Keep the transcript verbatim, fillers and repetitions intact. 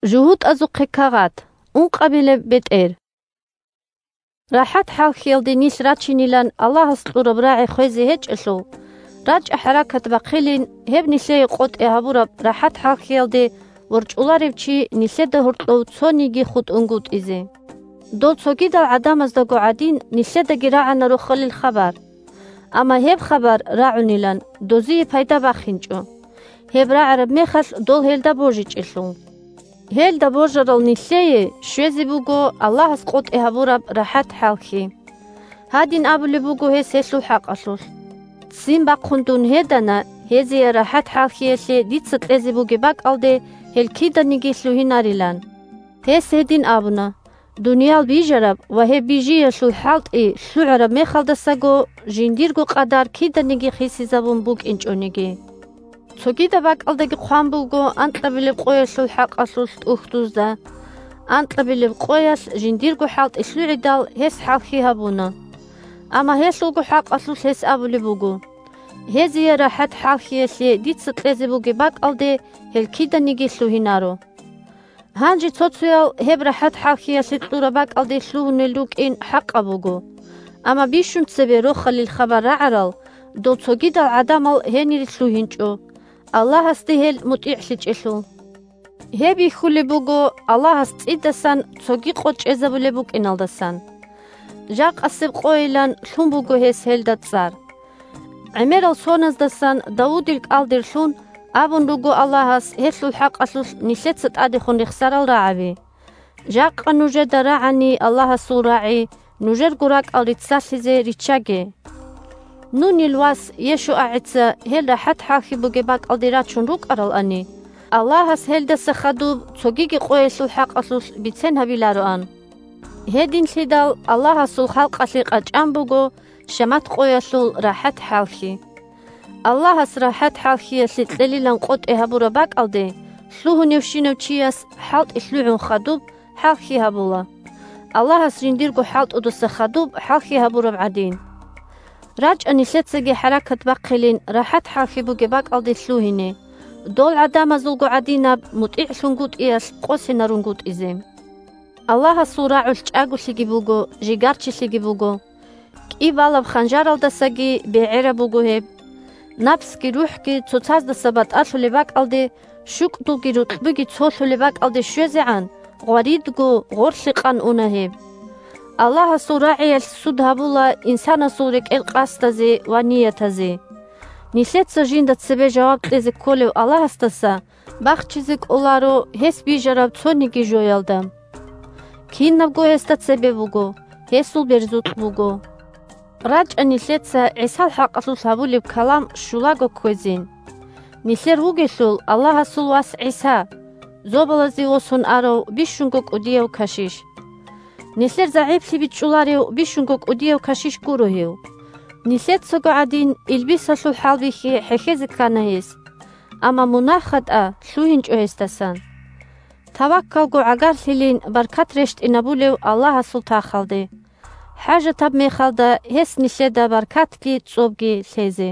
ЖугьутӀазухъе кагъат. Ункъабилеб бетӀер. РахӀат-хӀалхьиялде нилъ рачинилан Аллагьас кьураб рагӀи хвезе гьечӀелъул, рачӀа-хӀаракат бахъилин, гьеб нилъее къотӀи гьабураб рахӀат-хӀалхьиялде ворчӀуларев чи нилъеда гьоркьов цониги хутӀунгутӀизе. Дол цогидал гӀадамаздаго гӀадин нилъедаги рагӀана рохалил хабар. Амма гьеб хабар рагӀунилан дозие пайда бахинчӀо, гьеб рагӀараб мехалъ дол гьелда божичӀелъул. Гьелда божарал нилъее щвезе буго Аллагьас къотӀи гьабураб рахӀат-хӀалхьи. Гьадин абулеб буго гьес гьелъул хӀакъалъулъ: «Ццин бахъун дун гьедана, гьезие рахӀат-хӀалхьиялъе дица кьезе бугеб бакӀалде гьел киданиги лъугьинарилан». Гьес гьедин абуна: «Дуниял бижараб ва гьеб бижиялъул хӀалтӀи лъугӀараб мехалдасаго жиндирго къадар киданиги хисизабун букӀинчӀониги». Цогидаб бакӀалдаги хъван буго анкьабилеб къоялъул хӀакъалъулъ тӀухьдузда. Анкьабилеб къоялъ жиндирго хӀалтӀи лъугӀидал гьес хӀалхьи гьабуна. Амма гьелъулго хӀакъалъулъ гьес абулеб буго: «Гьезие рахӀат-хӀалхьиялъе дица кьезе бугеб бакӀалде гьел киданиги лъугьинаро». Гьанже цо-цоял гьеб рахӀат-хӀалхьиялъе кьураб бакӀалде лъугьунел рукӀин хӀакъаб буго. Амма бищун цебе рохалил хабар рагӀарал дол цогидал гӀадамал гьенире лъугьинчӀо, Аллагьасде гьел мутӀигӀлъичӀелъул. Гьеб бихьулеб буго Аллагьас цӀидасан цоги къо чӀезабулеб букӀиналдасан. Жакъасеб къойилан лъун буго гьес гьелда цӀар. ГӀемерал соназдасан Давудил кӀалдирлъун абун руго Аллагьас гьелъул хӀакъалъулъ нилъеца тӀадехун рехсарал рагӀаби. Жакъа нужеда рагӀани Аллагьасул рагӀи, нужерго ракӀал риццалъизе риччаге. Нунил вас ЕшуагӀица гьел рахӀат-хӀалхьи бугеб бакӀалде рачун рукӀаралани, Аллагьас гьелдаса хадуб цогиги къоялъул хӀакъалъулъ бицен гьабилароан. Гьединлъидал Аллагьасул халкъалъе къачӀан буго шамат къоялъул рахӀат-хӀалхьи. Аллагьас рахӀат-хӀалхьиялъе кьелилан къотӀи гьабураб бакӀалде лъугьуневщинав чияс хӀалтӀи лъугӀун хадуб хӀалхьи гьабула, Аллагьас жиндирго хӀалтӀудаса хадуб хӀалхьи гьабураб гӀадин. РачӀа нилъецаги хӀаракат бахъилин рахӀат-хӀалхьи бугеб бакӀалде лъугьине, дол гӀадамазулго гӀадинаб мутӀигӀлъунгутӀиялъ къосинарунгутӀизе. Аллагьасул рагӀулъ чӀаголъиги буго, жигарчилъиги буго. КӀи балаб ханжаралдасаги бегӀераб буго гьеб. Напсги рухӀги цоцаздаса батӀалъулеб бакӀалде, щукӀдулги рукьбуги цолъулеб бакӀалде щвезегӀан, гъваридго гъорлъи къан уна гьеб. Аллагьасул рагӀиялъ суд гьабула инсанасул рекӀел къасдазе ва ниятазе. Нилъеца жинда цебе жаваб кьезе кколев Аллагьасдаса бахчизе кӀоларо гьес бижараб цониги жоялда. Кинабго гьесда цебе буго, гьесул берзукь буго. РачӀа нилъеца ГӀисал хӀакъалъулъ гьабулеб калам щулаго кквезин. Нилъер вугелъул Аллагьасул вас ГӀиса, зобалазе восун арав бищунго кӀудияв кашиш. Нилъер загӀиплъи бичӀчӀуларев бищунго кӀудияв кашиш гуро гьев. Нилъецаго гӀадин илбисалъул хӀалбихьи хӀехьезе ккана гьес, амма мунагь-хатӀа лъугьинчӀо гьесдасан. Таваккалго гӀагарлъилин баркат рещтӀинабулев Аллагьасул тахалде, хӀажатаб мехалда гьес нилъеда баркатги цӀобги лъезе.